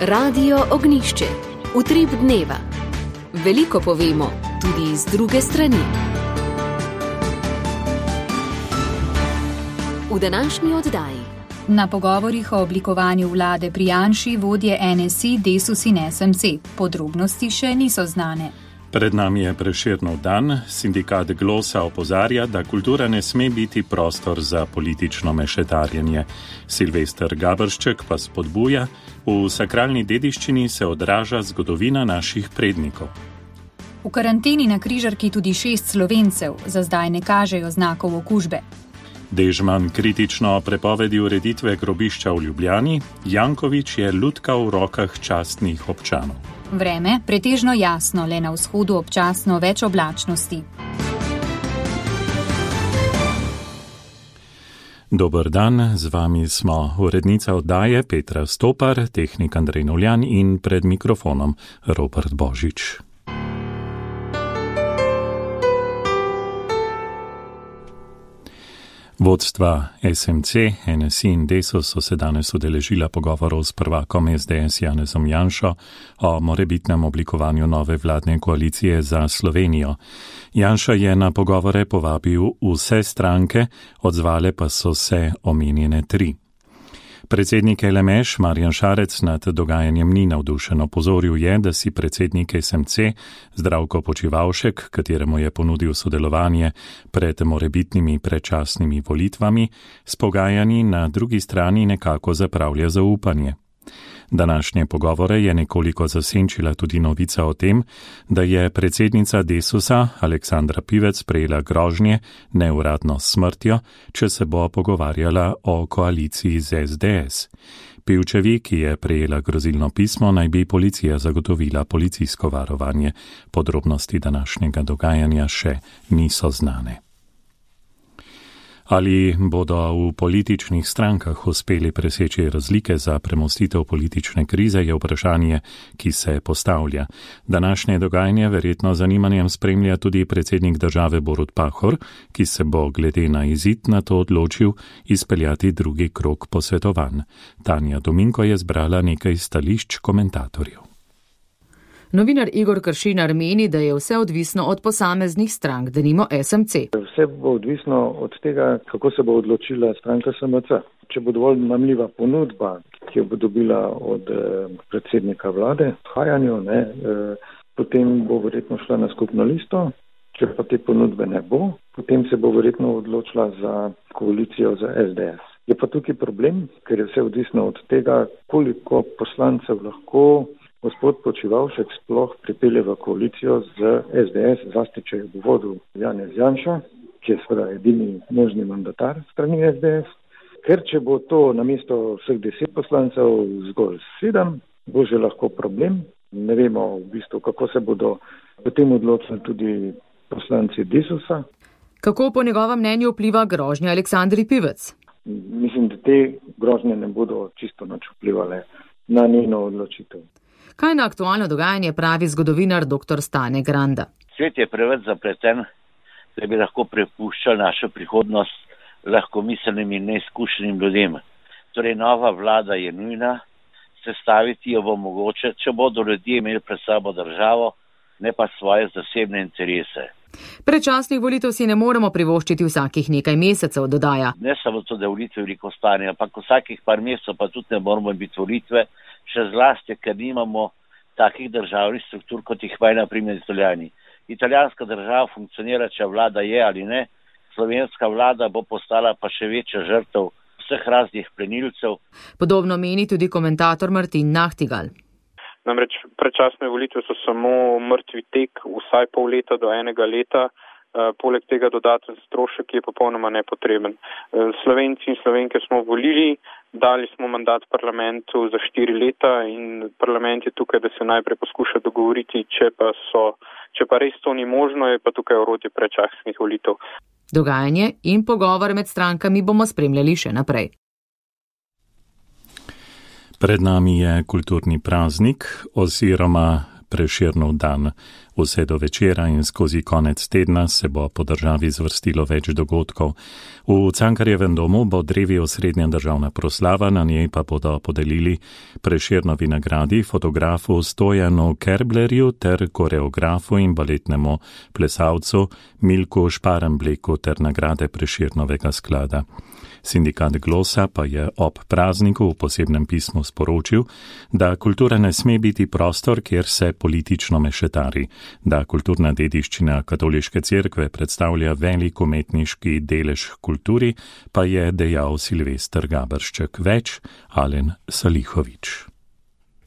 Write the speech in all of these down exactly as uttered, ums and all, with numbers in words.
Radio Ognjišče. Utrip dneva. Veliko povemo, tudi iz druge strani. V današnji oddaji. Na pogovorih o oblikovanju vlade pri Janši vodje N S I, Desus in S M C. Podrobnosti še niso znane. Pred nami je Prešernov dan. Sindikat Glosa opozarja, da kultura ne sme biti prostor za politično mešetarjenje. Silvester Gabršček pa spodbuja, v sakralni dediščini se odraža zgodovina naših prednikov. V karanteni na križarki tudi šest Slovencev, za zdaj ne kažejo znakov okužbe. Dežman kritično prepovedi ureditve grobišča v Ljubljani, Janković je lutka v rokah častnih občanov. Vreme pretežno jasno, le na vzhodu občasno več oblačnosti. Dober dan, z vami smo urednica oddaje Petra Stopar, tehnik Andrej Novljan in pred mikrofonom Robert Božič. Vodstva S M C, N S I in Desus so se danes udeležila pogovorov s prvakom S D S Janezom Janšo o morebitnem oblikovanju nove vladne koalicije za Slovenijo. Janša je na pogovore povabil vse stranke, odzvale pa so se omenjene tri. Predsednik L M Š Marjan Šarec nad dogajanjem ni navdušen. Opozoril je, da si predsednik S M C Zdravko Počivalšek, kateremu je ponudil sodelovanje pred morebitnimi predčasnimi volitvami, s pogajanji na drugi strani nekako zapravlja zaupanje. Današnje pogovore je nekoliko zasenčila tudi novica o tem, da je predsednica Desusa Aleksandra Pivec prejela grožnje neuradno s smrtjo, če se bo pogovarjala o koaliciji z S D S. Pivčevi, ki je prejela grozilno pismo, naj bi policija zagotovila policijsko varovanje. Podrobnosti današnjega dogajanja še niso znane. Ali bodo v političnih strankah uspeli preseči razlike za premostitev politične krize, je vprašanje, ki se postavlja. Današnje dogajanje verjetno zanimanjem spremlja tudi predsednik države Borut Pahor, ki se bo glede na izid na to odločil izpeljati drugi krog posvetovanj. Tanja Dominko je zbrala nekaj stališč komentatorjev. Novinar Igor Kršinar meni, da je vse odvisno od posameznih strank, denimo S M C. Vse bo odvisno od tega, kako se bo odločila stranka S M C. Če bo dovolj mamljiva ponudba, ki jo bo dobila od eh, predsednika vlade, odhajanju, ne, eh, potem bo verjetno šla na skupno listo. Če pa te ponudbe ne bo, potem se bo verjetno odločila za koalicijo za S D S. Je pa tukaj problem, ker je vse odvisno od tega, koliko poslancev lahko gospod Počivalšek sploh pripelje v koalicijo z S D S, zlasti če je v vodu Janez Janša, ki je seveda edini možni mandatar strani S D S. Ker če bo to namesto vseh deset poslancev zgolj sedem, bo že lahko problem. Ne vemo v bistvu, kako se bodo potem odločili tudi poslanci Desusa. Kako po njegovem mnenju vpliva grožnja Aleksandri Pivec? Mislim, da te grožnje ne bodo čisto nič vplivale na njeno odločitev. Kaj na aktualno dogajanje pravi zgodovinar dr. Stane Granda? Svet je preveč zapleten, da bi lahko prepuščal našo prihodnost lahkomiselnim in neizkušenim ljudem. Torej, nova vlada je nujna, sestaviti jo bo mogoče, če bodo ljudje imeli pred sabo državo, ne pa svoje zasebne interese. Predčasnih volitev si ne moremo privoščiti vsakih nekaj mesecev, dodaja. Ne samo to, da volitve veliko stane, ampak vsakih par mesecev pa tudi ne moramo biti volitve, še zlasti, ker nimamo takih državnih struktur, kot jih imajo na primer Italijani. Italijanska država funkcionira, če vlada je ali ne, slovenska vlada bo postala pa še večja žrtev vseh raznih plenilcev. Podobno meni tudi komentator Martin Nahtigal. Namreč predčasne volitve so samo mrtvi tek, vsaj pol leta do enega leta, e, poleg tega dodaten strošek je popolnoma nepotreben. E, Slovenci in Slovenke smo volili, dali smo mandat parlamentu za štiri leta in parlament je tukaj, da se najprej poskuša dogovoriti, če pa, so, če pa res to ni možno, je pa tukaj orodje predčasnih volitev. Dogajanje in pogovor med strankami bomo spremljali še naprej. Pred nami je kulturni praznik oziroma Prešernov dan. Vse do večera in skozi konec tedna se bo po državi zvrstilo več dogodkov. V Cankarjevem domu bo drevi osrednja državna proslava, na njej pa bodo podelili Prešernovi nagradi fotografu Stojanu Kerblerju ter koreografu in baletnemu plesalcu Milku Šparembleku ter nagrade Prešernovega sklada. Sindikat Glosa pa je ob prazniku v posebnem pismu sporočil, da kultura ne sme biti prostor, kjer se politično mešetari, da kulturna dediščina katoliške cerkve predstavlja velik umetniški delež kulturi, pa je dejal Silvester Gabršček. Več Alen Salihovič.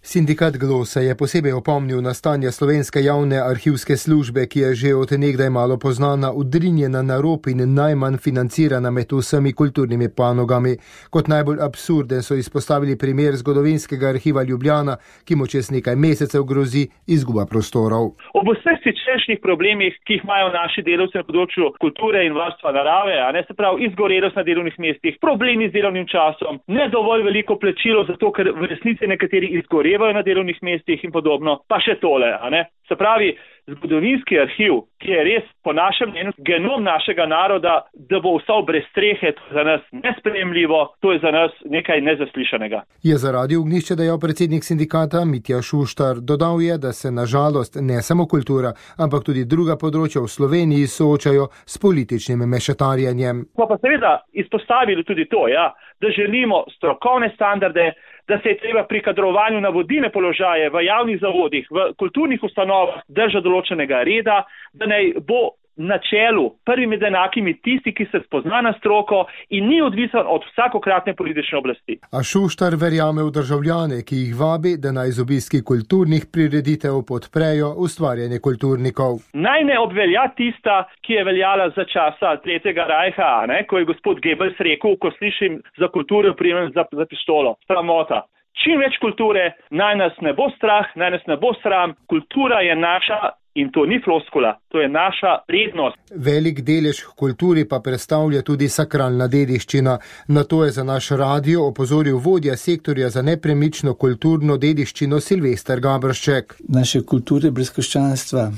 Sindikat Glosa je posebej opomnil na stanje slovenske javne arhivske službe, ki je že od nekdaj malo poznana, udrinjena na rob in najmanj financirana med vsemi kulturnimi panogami. Kot najbolj absurden so izpostavili primer zgodovinskega arhiva Ljubljana, ki mu čez nekaj mesecev grozi izguba prostorov. Ob vseh siceršnjih problemih, ki jih imajo naši delavci na področju kulture in varstva narave, a ne se pravi izgorelost na delovnih mestih, problemi z delovnim časom, ne dovolj veliko plačilo, zato ker v resnici nekateri izgorevajo na delovnih mestih in podobno, pa še tole, a ne? Se pravi, zgodovinski arhiv, ki je res po našem mnenju genom našega naroda, da bo ostal brez strehe, to je za nas nesprejemljivo, to je za nas nekaj nezaslišanega. Je zaradi Ognjišča dejal predsednik sindikata Mitja Šuštar. Dodal je, da se na žalost ne samo kultura, ampak tudi druga področja v Sloveniji soočajo s političnim mešetarjenjem. Pa pa seveda izpostavili tudi to, ja, da želimo strokovne standarde, da se je treba pri kadrovanju na vodilne položaje v javnih zavodih, v kulturnih ustanovah držati določenega reda, da naj bo na čelu prvi med enakimi tisti, ki se spozna na stroko in ni odvisen od vsakokratne politične oblasti. A Šuštar verjame v državljane, ki jih vabi, da naj z obiski kulturnih prireditev podprejo ustvarjanje kulturnikov. Naj ne obvelja tista, ki je veljala za časa Tretjega rajha, ne, ko je gospod Goebbels rekel, ko slišim za kulturo, primem za, za pištolo. Sramota. Čim več kulture, naj nas ne bo strah, naj nas ne bo sram. Kultura je naša in to ni floskula, to je naša prednost. Velik delež kulturi pa predstavlja tudi sakralna dediščina. Na to je za naš radio opozoril vodja sektorja za nepremično kulturno dediščino Silvester Gabršček. Naše kulture brez krščanstva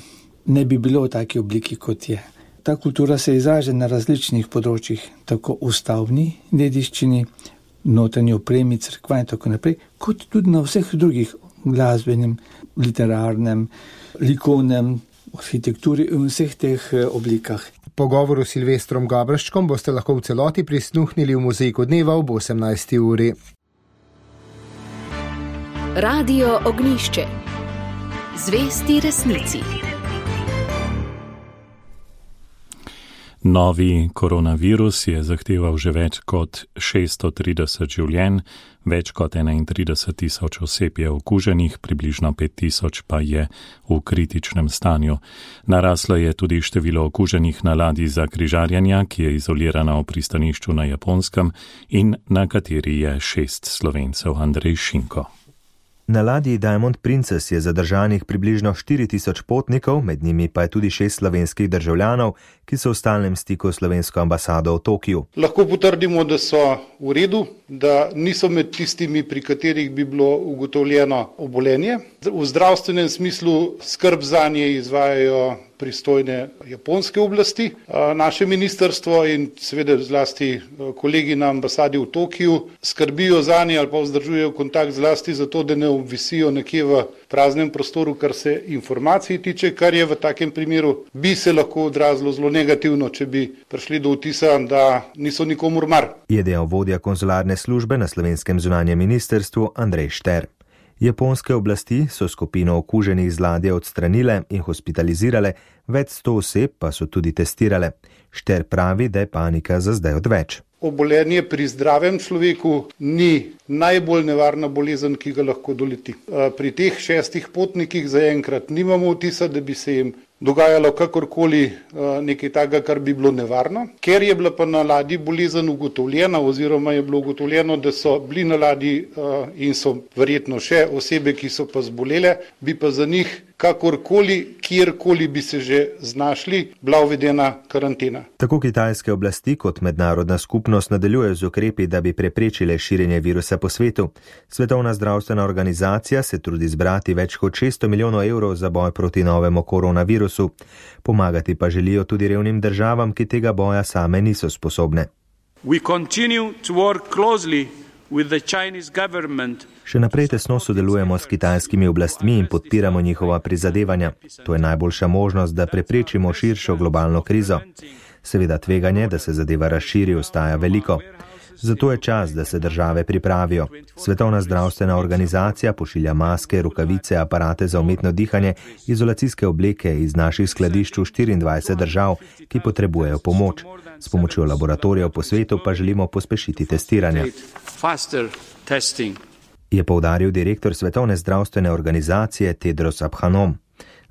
ne bi bilo v taki obliki, kot je. Ta kultura se izraža na različnih področjih, tako v stavbni dediščini, notranji opremi, cerkva in tako naprej, kot tudi na vseh drugih glasbenem, literarnem, likovnem, arhitekturi in vseh teh oblikah. Pogovoru s Silvestrom Gabrščkom boste lahko v celoti prisluhnili v Mozaiku dneva ob osemnajsti uri. Radio Ognjišče. Zvesti resnici. Novi koronavirus je zahteval že več kot šeststo trideset življenj, več kot enaintrideset tisoč oseb je okuženih, približno pet tisoč pa je v kritičnem stanju. Naraslo je tudi število okuženih na ladji za križarjenja, ki je izolirana v pristanišču na Japonskem in na kateri je šest Slovencev. Andrej Šinko. Na ladji Diamond Princess je zadržanih približno štiri tisoč potnikov, med njimi pa je tudi šest slovenskih državljanov, ki so v stalnem stiku s slovensko ambasado v Tokiu. Lahko potrdimo, da so v redu, da niso med tistimi, pri katerih bi bilo ugotovljeno obolenje. V zdravstvenem smislu skrb zanje izvajajo pristojne japonske oblasti. Naše ministrstvo in seveda zlasti kolegi na ambasadi v Tokiju skrbijo zanje ali pa vzdržujejo kontakt zlasti zato, da ne obvisijo nekje v praznem prostoru, kar se informacij tiče, kar je v takem primeru bi se lahko odrazilo zelo negativno, če bi prišli do vtisa, da niso nikomur mar. Je dejal vodja konzularne službe na slovenskem zunanjem ministrstvu Andrej Šter. Japonske oblasti so skupino okuženih z ladje odstranile in hospitalizirale, več sto oseb pa so tudi testirale. Šter pravi, da je panika za zdaj odveč. Obolenje pri zdravem človeku ni najbolj nevarna bolezen, ki ga lahko doleti. Pri teh šestih potnikih zaenkrat nimamo vtisa, da bi se jim dogajalo kakorkoli nekaj takega, kar bi bilo nevarno. Ker je bila pa na ladji bolezen ugotovljena oziroma je bilo ugotovljeno, da so bili na ladji in so verjetno še osebe, ki so pa zbolele, bi pa za njih kakorkoli, kjerkoli bi se že znašli, bila uvedena karantena. Tako kitajske oblasti kot mednarodna skupnost nadaljujejo z ukrepi, da bi preprečile širjenje virusa po svetu. Svetovna zdravstvena organizacija se trudi zbrati več kot šeststo milijonov evrov za boj proti novemu koronavirusu. Pomagati pa želijo tudi revnim državam, ki tega boja same niso sposobne. We continue to work closely with the Chinese government. Še naprej tesno sodelujemo s kitajskimi oblastmi in podpiramo njihova prizadevanja. To je najboljša možnost, da preprečimo širšo globalno krizo. Seveda tveganje, da se zadeva razširi, ostaja veliko. Zato je čas, da se države pripravijo. Svetovna zdravstvena organizacija pošilja maske, rokavice, aparate za umetno dihanje, izolacijske obleke iz naših skladišč v štiriindvajset držav, ki potrebujejo pomoč. S pomočjo laboratorijev po svetu pa želimo pospešiti testiranje. Je poudaril direktor Svetovne zdravstvene organizacije Tedros Adhanom.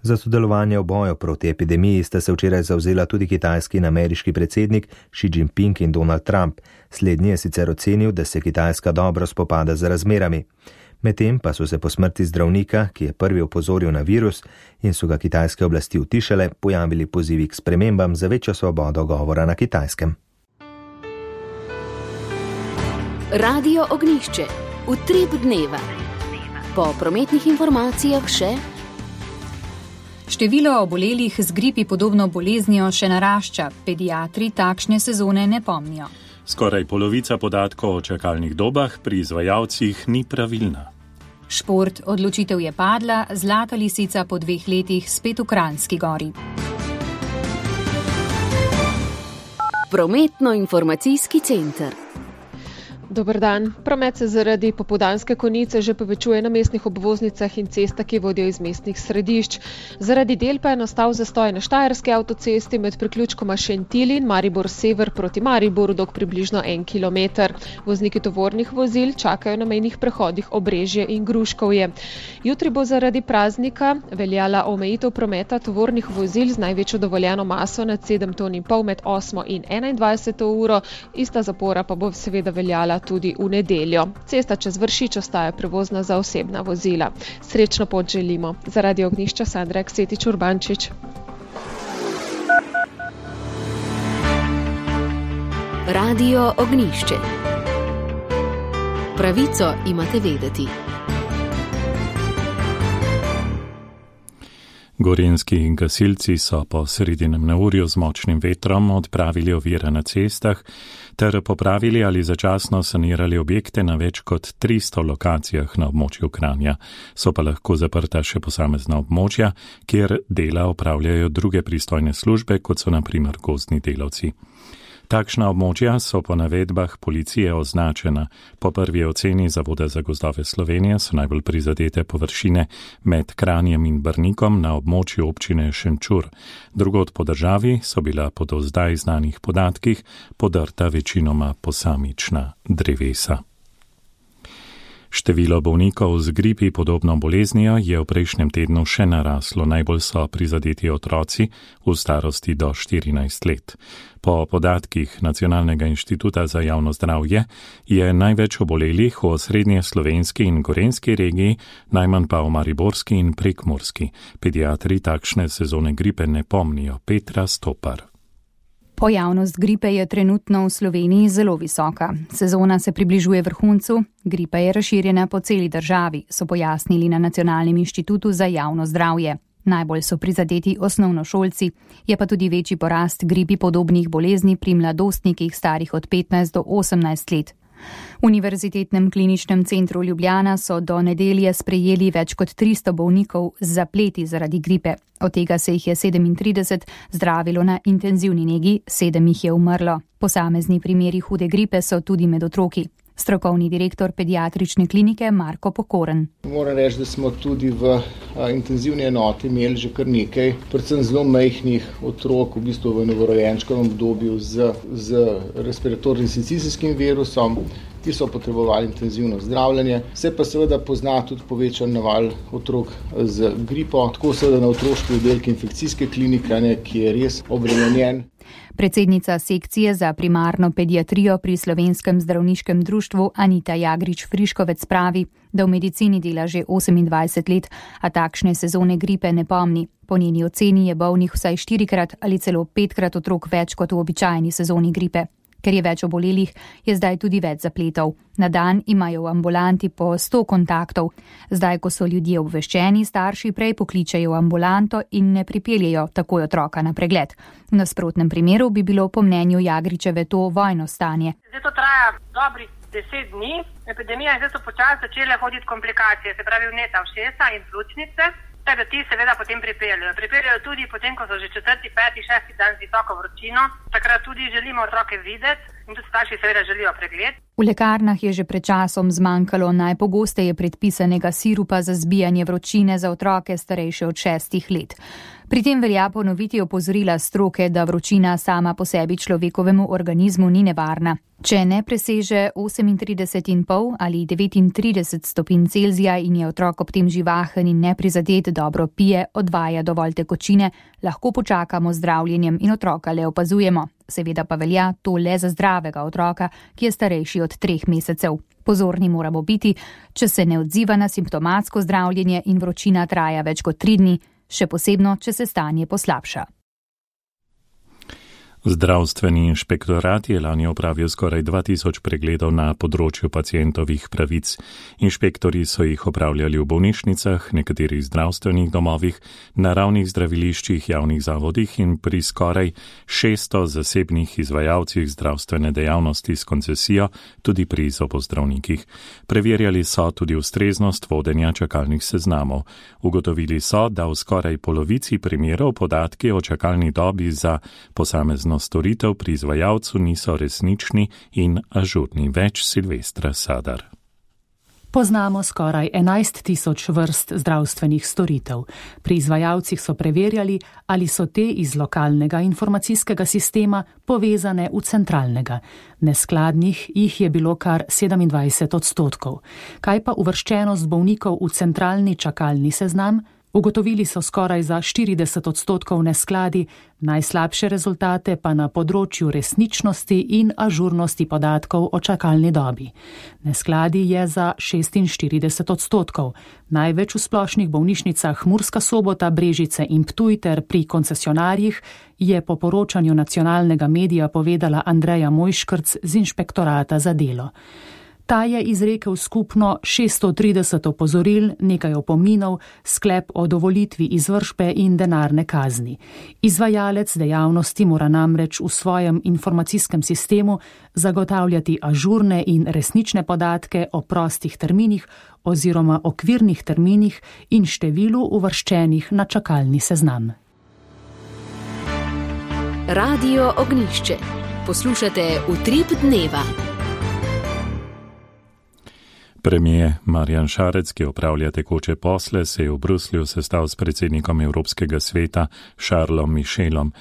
Za sodelovanje v boju proti epidemiji sta se včeraj zavzela tudi kitajski in ameriški predsednik Xi Jinping in Donald Trump. Slednji je sicer ocenil, da se Kitajska dobro spopada z razmerami. Medtem pa so se po smrti zdravnika, ki je prvi opozoril na virus in so ga kitajske oblasti utišale, pojavili pozivi k spremembam za večjo svobodo govora na Kitajskem. Radio Ognjišče. Utrip dneva. Po prometnih informacijah še. Število obolelih z gripi podobno boleznijo še narašča. Pediatri takšne sezone ne pomnijo. Skoraj polovica podatkov o čakalnih dobah pri izvajalcih ni pravilna. Šport, odločitev je padla, Zlata lisica po dveh letih spet v Kranjski Gori. Prometno-informacijski center. Dober dan. Promet se zaradi popoldanske konice že povečuje na mestnih obvoznicah in cestah, ki vodijo iz mestnih središč. Zaradi del pa je nastal zastoj na Štajerski avtocesti med priključkoma Šentilj in Maribor Sever proti Mariboru dolg približno en kilometer. Vozniki tovornih vozil čakajo na mejnih prehodih Obrežje in Gruškovje. Jutri bo zaradi praznika veljala omejitev prometa tovornih vozil z največjo dovoljeno maso nad sedem ton in pol med osmo in enaindvajseto uro. Ista zapora pa bo seveda veljala tudi v nedeljo. Cesta čez Vršič ostaja prevozna za osebna vozila. Srečno pot želimo. Zaradi Ognjišča Sandra Aksetič Urbančič. Radio Ognjišče. Pravico imate vedeti. Gorenjski gasilci so po sredinem neurju z močnim vetrom odpravili ovire na cestah ter popravili ali začasno sanirali objekte na več kot tristo lokacijah na območju Kranja. So pa lahko zaprta še posamezna območja, kjer dela opravljajo druge pristojne službe, kot so na primer gozdni delavci. Takšna območja so po navedbah policije označena. Po prvi oceni Zavoda za gozdove Slovenije so najbolj prizadete površine med Kranjem in Brnikom na območju občine Šenčur. Drugod po državi so bila po do zdaj znanih podatkih podrta večinoma posamična drevesa. Število bolnikov z gripi podobno boleznijo je v prejšnjem tednu še naraslo. Najbolj so prizadeti otroci v starosti do štirinajst let. Po podatkih Nacionalnega inštituta za javno zdravje je največ obolelih v osrednje slovenski in gorenjski regiji, najmanj pa v mariborski in prekmurski. Pediatri takšne sezone gripe ne pomnijo. Petra Stopar. Pojavnost gripe je trenutno v Sloveniji zelo visoka. Sezona se približuje vrhuncu, gripa je razširjena po celi državi, so pojasnili na Nacionalnem inštitutu za javno zdravje. Najbolj so prizadeti osnovnošolci, je pa tudi večji porast gripi podobnih bolezni pri mladostnikih starih od petnajst do osemnajst let. V Univerzitetnem kliničnem centru Ljubljana so do nedelje sprejeli več kot tristo bolnikov z zapleti zaradi gripe. Od tega se jih je sedemintrideset zdravilo na intenzivni negi, sedem jih je umrlo. Posamezni primeri hude gripe so tudi med otroki. Strokovni direktor pediatrične klinike Marko Pokoren. Moram reči, da smo tudi v intenzivni enoti imeli že kar nekaj, predvsem zelo majhnih otrok, v bistvu v novorojenčkovem obdobju z, z respiratornim sincicijskim virusom. ki so potrebovali intenzivno zdravljenje. Se pa seveda pozna tudi povečan naval otrok z gripo, tako seveda na otroški oddelki infekcijske klinike, ne, ki je res obremenjen. Predsednica sekcije za primarno pediatrijo pri Slovenskem zdravniškem društvu Anita Jagrič-Friškovec pravi, da v medicini dela že osemindvajset let, a takšne sezone gripe ne pomni. Po njeni oceni je bolnih vsaj štirikrat ali celo petkrat otrok več kot v običajni sezoni gripe. Ker je več obolelih, je zdaj tudi več zapletov. Na dan imajo v ambulanti po sto kontaktov. Zdaj, ko so ljudje obveščeni, starši prej pokličejo v ambulanto in ne pripeljejo takoj otroka na pregled. V nasprotnem primeru bi bilo po mnenju Jagričeve to vojno stanje. Zdaj to traja dobrih deset dni. Epidemija in zdaj so počasi začele hoditi komplikacije, se pravi vneta ušesa in pljučnice. Tako da ti seveda potem pripeljajo. Pripeljajo tudi potem, ko so že četrti, peti, šesti dan z visoko vročino. Takrat tudi želimo otroke videti in tudi starši seveda želijo pregled. V lekarnah je že pred časom zmanjkalo najpogosteje predpisanega sirupa za zbijanje vročine za otroke starejše od šestih let. Pri tem velja ponoviti opozorila stroke, da vročina sama po sebi človekovemu organizmu ni nevarna. Če ne preseže osemintrideset in pol ali devetintrideset stopinj Celzija in je otrok ob tem živahen in neprizadet, dobro pije, odvaja dovolj tekočine, lahko počakamo z zdravljenjem in otroka le opazujemo. Seveda pa velja to le za zdravega otroka, ki je starejši od treh mesecev. Pozorni moramo biti, če se ne odziva na simptomatsko zdravljenje in vročina traja več kot tri dni, še posebno, če se stanje poslabša. Zdravstveni inšpektorat je lani opravil skoraj dva tisoč pregledov na področju pacientovih pravic. Inšpektori so jih opravljali v bolnišnicah, nekaterih zdravstvenih domovih, naravnih zdraviliščih, javnih zavodih in pri skoraj šeststo zasebnih izvajalcih zdravstvene dejavnosti s koncesijo, tudi pri zobozdravnikih. Preverjali so tudi ustreznost vodenja čakalnih seznamov. Ugotovili so, da v skoraj polovici primerov podatki o čakalni dobi za posamezno storitev pri izvajalcu niso resnični in ažurni. Več Silvestra Sadar. Poznamo skoraj enajst tisoč vrst zdravstvenih storitev. Pri izvajalcih so preverjali, ali so te iz lokalnega informacijskega sistema povezane v centralnega. Neskladnih jih je bilo kar sedemindvajset odstotkov. Kaj pa uvrščenost bolnikov v centralni čakalni seznam? Ugotovili so skoraj za štirideset odstotkov neskladi, najslabše rezultate pa na področju resničnosti in ažurnosti podatkov o čakalni dobi. Neskladi je za šestinštirideset odstotkov, največ v splošnih bolnišnicah Murska Sobota, Brežice in Ptuj ter pri koncesionarjih, je po poročanju nacionalnega medija povedala Andreja Mojškrc z inšpektorata za delo. Ta je izrekel skupno šeststo trideset opozoril, nekaj opominov, sklep o dovolitvi izvršbe in denarne kazni. Izvajalec dejavnosti mora namreč v svojem informacijskem sistemu zagotavljati ažurne in resnične podatke o prostih terminih oziroma okvirnih terminih in številu uvrščenih na čakalni seznam. Radio Ognjišče. Poslušate Utrip dneva. Premier Marjan Šarec, ki opravlja tekoče posle, se je v Bruslju sestal s predsednikom Evropskega sveta Charlesom Michelom.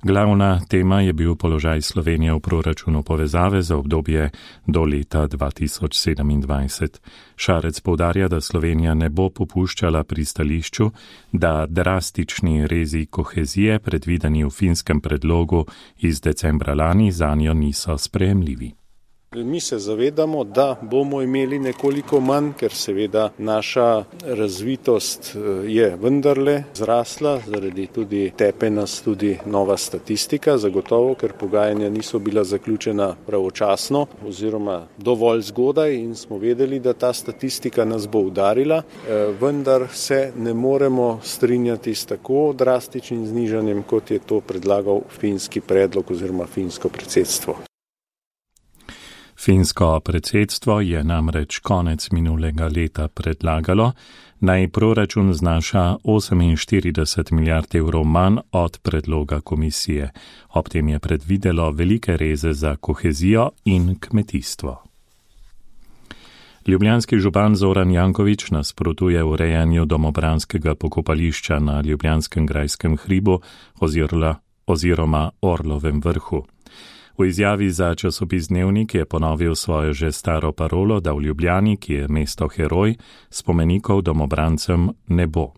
Glavna tema je bil položaj Slovenije v proračunu povezave za obdobje do leta dva tisoč sedemindvajset. Šarec poudarja, da Slovenija ne bo popuščala pri stališču, da drastični rezi kohezije, predvideni v finskem predlogu iz decembra lani, zanjo niso sprejemljivi. Mi se zavedamo, da bomo imeli nekoliko manj, ker seveda naša razvitost je vendarle zrasla, zaradi tudi tepe nas tudi nova statistika, zagotovo, ker pogajanja niso bila zaključena pravočasno oziroma dovolj zgodaj in smo vedeli, da ta statistika nas bo udarila, vendar se ne moremo strinjati s tako drastičnim znižanjem, kot je to predlagal finski predlog oziroma finsko predsedstvo. Finsko predsedstvo je namreč konec minulega leta predlagalo, naj proračun znaša oseminštirideset milijard evrov manj od predloga komisije. Ob tem je predvidelo velike reze za kohezijo in kmetijstvo. Ljubljanski župan Zoran Janković nasprotuje urejanju domobranskega pokopališča na Ljubljanskem grajskem hribu oziroma Orlovem vrhu. V izjavi za časopis Dnevnik je ponovil svojo že staro parolo, da v Ljubljani, ki je mesto heroj, spomenikov domobrancem ne bo.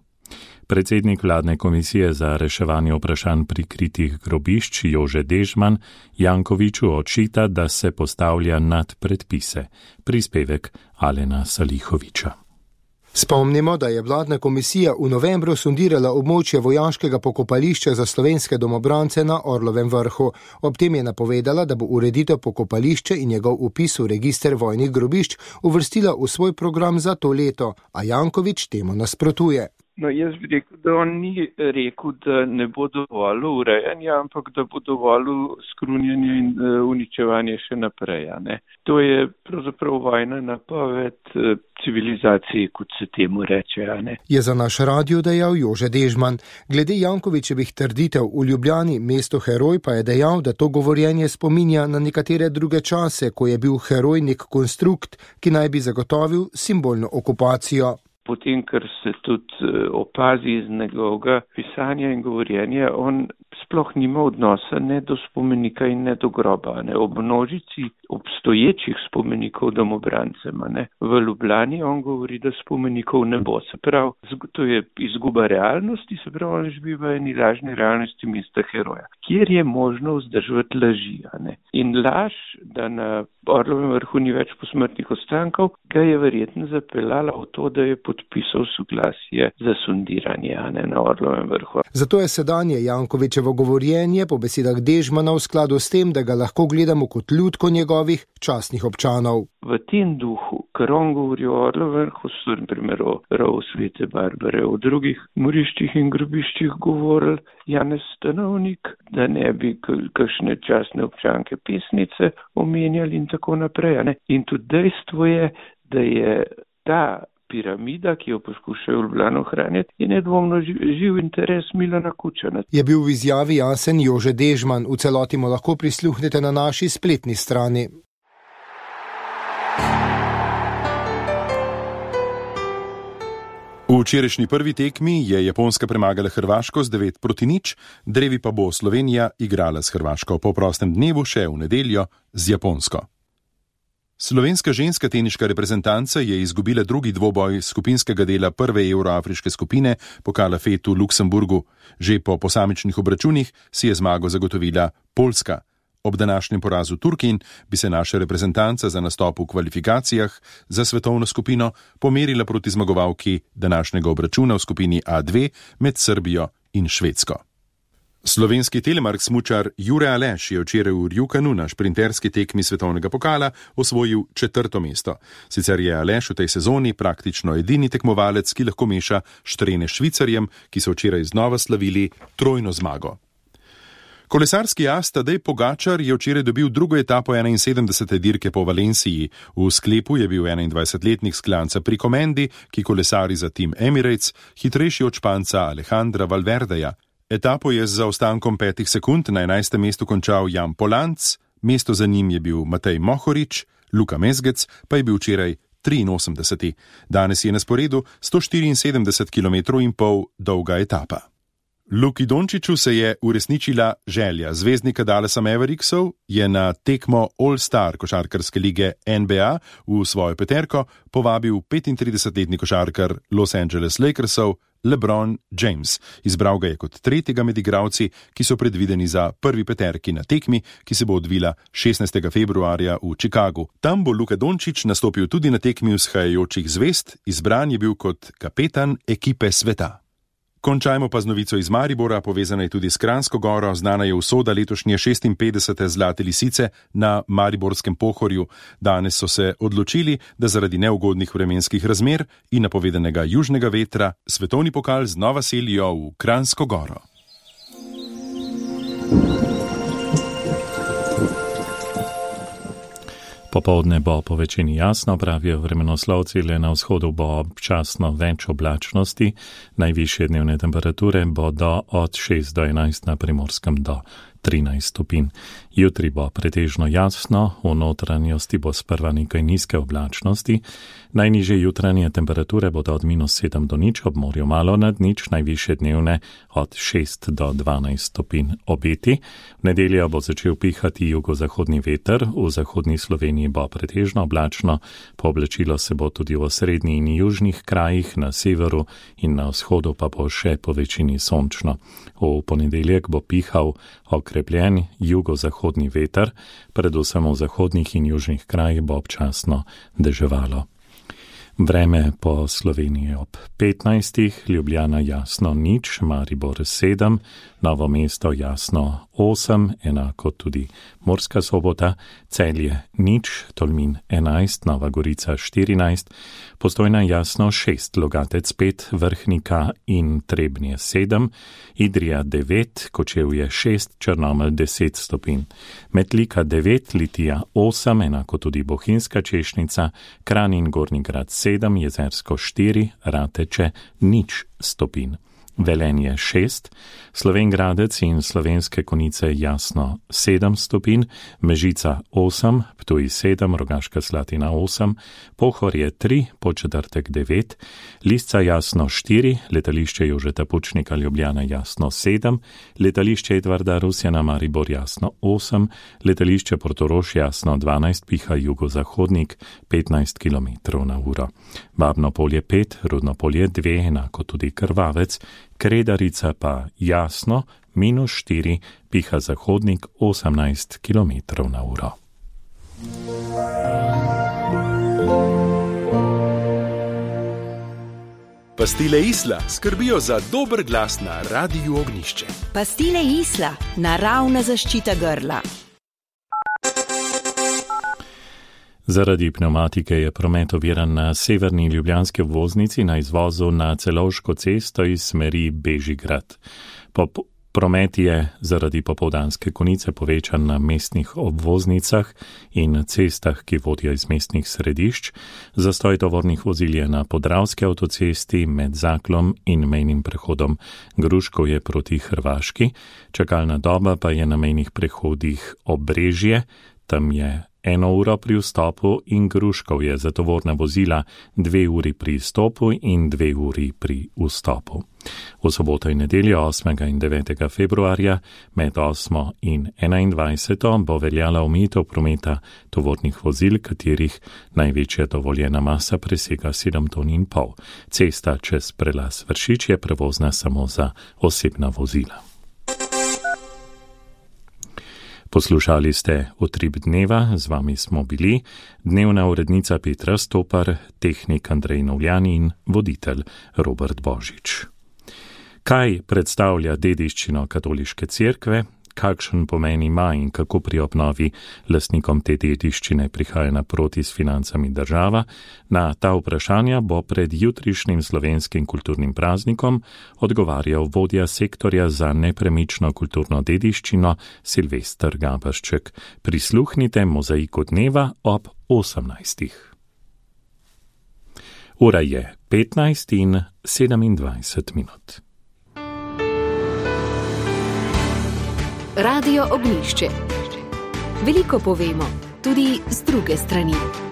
Predsednik vladne komisije za reševanje vprašanj prikritih grobišč Jože Dežman Jankoviću očita, da se postavlja nad predpise. Prispevek Alena Salihoviča. Spomnimo, da je vladna komisija v novembru sondirala območje vojaškega pokopališča za slovenske domobrance na Orlovem vrhu. Ob tem je napovedala, da bo ureditev pokopališča in njegov vpis v register vojnih grobišč uvrstila v svoj program za to leto, a Janković temu nasprotuje. No, jaz bi rekel, da on ni rekel, da ne bo dovolj urejanja, ampak da bo dovolj skrunjanja in uničevanja še naprej. Ne? To je pravzaprav vojna napoved civilizaciji, kot se temu reče. Ne? Je za naš radio dejal Jože Dežman. Glede Jankovićevih trditev v Ljubljani, mesto heroj, pa je dejal, da to govorjenje spominja na nekatere druge čase, ko je bil heroj nek konstrukt, ki naj bi zagotovil simbolno okupacijo. Potem, kar se tudi opazi iz njegovega pisanja in govorjenja, on sploh nima odnosa ne do spomenika in ne do groba. Ne. Ob množici obstoječih spomenikov domobrancem. Ne. V Ljubljani on govori, da spomenikov ne bo. Se pravi, to je izguba realnosti, se pravi, on živi v eni lažni realnosti mesta heroja, kjer je možno vzdržati laži. Ne. In laž, da na Orlovem vrhu ni več posmrtnih ostankov, ga je verjetno zapeljala v to, da je podpisal soglasje za sondiranje ne, na Orlovem vrhu. Zato je sedanje Jankovićevo govorjenje po besedah Dežmana v skladu s tem, da ga lahko gledamo kot ljudko njegovih častnih občanov. V tem duhu, ker on govori o Orlovem vrhu, so na primer o rovu Svete Barbare, o drugih moriščih in grobiščih govorili Janez Stanovnik, da ne bi kakšne častne občanke pesnice omenjali in tako naprej. Ne? In tudi dejstvo je, da je ta piramida, ki jo poskušajo v Ljubljani ohranjati, je nedvomno živ interes Milana Kučana. Je bil v izjavi jasen Jože Dežman. V celoti mu lahko prisluhnete na naši spletni strani. V včerajšnji prvi tekmi je Japonska premagala Hrvaško z devet proti nič, drevi pa bo Slovenija igrala s Hrvaško po prostem dnevu še v nedeljo z Japonsko. Slovenska ženska teniška reprezentanca je izgubila drugi dvoboj skupinskega dela prve evroafriške skupine pokala F E T v Luksemburgu. Že po posamičnih obračunih si je zmago zagotovila Poljska. Ob današnjem porazu Turkin bi se naša reprezentanca za nastop v kvalifikacijah za svetovno skupino pomerila proti zmagovalki današnjega obračuna v skupini A dve med Srbijo in Švedsko. Slovenski telemark smučar Jure Aleš je včeraj v Rjukanu na šprinterski tekmi svetovnega pokala osvojil četrto mesto. Sicer je Aleš v tej sezoni praktično edini tekmovalec, ki lahko meša štrene Švicarjem, ki so včeraj znova slavili trojno zmago. Kolesarski as Tadej Pogačar je včeraj dobil drugo etapo enainsedemdesete dirke po Valenciji. V sklepu je bil enaindvajsetletnik sklanca pri Komendi, ki kolesari za tim Emirates, hitrejši od Španca Alejandra Valverdeja. Etapo je z zaostankom petih sekund na enajstem mestu končal Jan Polanc, mesto za njim je bil Matej Mohorič, Luka Mezgec pa je bil včeraj triinosemdeseti. Danes je na sporedu sto štiriinsedemdeset kilometrov in pol dolga etapa. Luki Dončiću se je uresničila želja. Zvezdnika Dallasa Mavericksov je na tekmo All-Star košarkarske lige N B A v svojo peterko povabil petintridesetletni košarkar Los Angeles Lakersov LeBron James. Izbral ga je kot tretjega med igralci, ki so predvideni za prvi peterki na tekmi, ki se bo odvila šestnajstega februarja v Chicagu. Tam bo Luka Dončić nastopil tudi na tekmi vzhajajočih zvezd, izbran je bil kot kapetan ekipe sveta. Končajmo pa z novico iz Maribora, povezana je tudi s Kranjsko goro, znana je usoda letošnje šestinpetdesete zlate lisice na Mariborskem Pohorju. Danes so se odločili, da zaradi neugodnih vremenskih razmer in napovedanega južnega vetra svetovni pokal znova selijo v Kranjsko goro. Popoldne bo po večini jasno, pravijo vremenoslovci, le na vzhodu bo občasno več oblačnosti, najvišje dnevne temperature bodo od šest do enajst na Primorskem do trinajst stopinj. Jutri bo pretežno jasno, v notranjosti bo sprva nekaj nizke oblačnosti. Najnižje jutranje temperature bodo od minus sedem do nič, ob morju malo nad nič, najvišje dnevne od šest do dvanajst stopinj obeti. V nedeljo bo začel pihati jugozahodni veter, v zahodni Sloveniji bo pretežno oblačno, pooblačilo se bo tudi v srednji in južnih krajih, na severu in na vzhodu pa bo še po večini sončno. V ponedeljek bo pihal okrepljen jugozahodni veter, predvsem v zahodnih in južnih krajih bo občasno deževalo. Vreme po Sloveniji ob petnajstih, Ljubljana jasno nič, Maribor sedem, Novo mesto jasno osem, enako tudi Murska Sobota, Celje nič, Tolmin enajst, Nova Gorica štirinajst, Postojna jasno šest, Logatec pet, Vrhnika in Trebnje sedem, Idrija devet, Kočevje šest, Črnomelj deset stopinj, Metlika devet, Litija osem, enako tudi Bohinjska Češnica, Kranj in Gornji Grad sedem, Jezersko štiri, Rateče nič stopinj. Velenje šest, Slovenj Gradec in Slovenske Konjice jasno sedem stopinj, Mežica osem, Ptuj sedem, Rogaška Slatina osem, Pohorje tri, Podčetrtek devet, Lisca jasno štiri, Letališče Jožeta Pučnika Ljubljana jasno sedem, Letališče Edvarda Rusjana Maribor jasno osem, Letališče Portorož jasno dvanajst, piha jugozahodnik petnajst kilometrov na uro. Babno Polje pet, Rudno Polje dve, enako tudi Krvavec, Kredarica pa jasno, minus štiri, piha zahodnik osemnajst kilometrov na uro. Pastile Isla skrbijo za dober glas na Radiu Ognjišče. Pastile Isla, naravna zaščita grla. Zaradi pneumatike je promet oviran na severni ljubljanski obvoznici na izvozu na Celovško cesto iz smeri Bežigrad. Pop promet je zaradi popoldanske konice povečan na mestnih obvoznicah in cestah, ki vodijo iz mestnih središč. Zastoj tovornih vozil je na Podravski avtocesti med Zaklom in mejnim prehodom Gruškovje proti Hrvaški. Čakalna doba pa je na mejnih prehodih Obrežje, tam je eno uro pri vstopu, in Gruškovje za tovorna vozila dve uri pri izstopu in dve uri pri vstopu. V soboto in nedeljo osmega in devetega februarja med osmo in enaindvajseto bo veljala omejitev prometa tovornih vozil, katerih največja dovoljena masa presega sedem ton in pol. Cesta čez prelaz Vršič je prevozna samo za osebna vozila. Poslušali ste Utrip dneva, z vami smo bili dnevna urednica Petra Stopar, tehnik Andrej Novljan in voditelj Robert Božič. Kaj predstavlja dediščino katoliške cerkve, kakšen pomen ima in kako pri obnovi lastnikom te dediščine prihaja naproti s financami država, na ta vprašanja bo pred jutrišnjim slovenskim kulturnim praznikom odgovarjal vodja sektorja za nepremično kulturno dediščino Silvester Gaberšček. Prisluhnite Mozaiku dneva ob osemnajstih. Ura je petnajst in sedemindvajset minut. Radio Ognjišče. Veliko povemo, tudi z druge strani.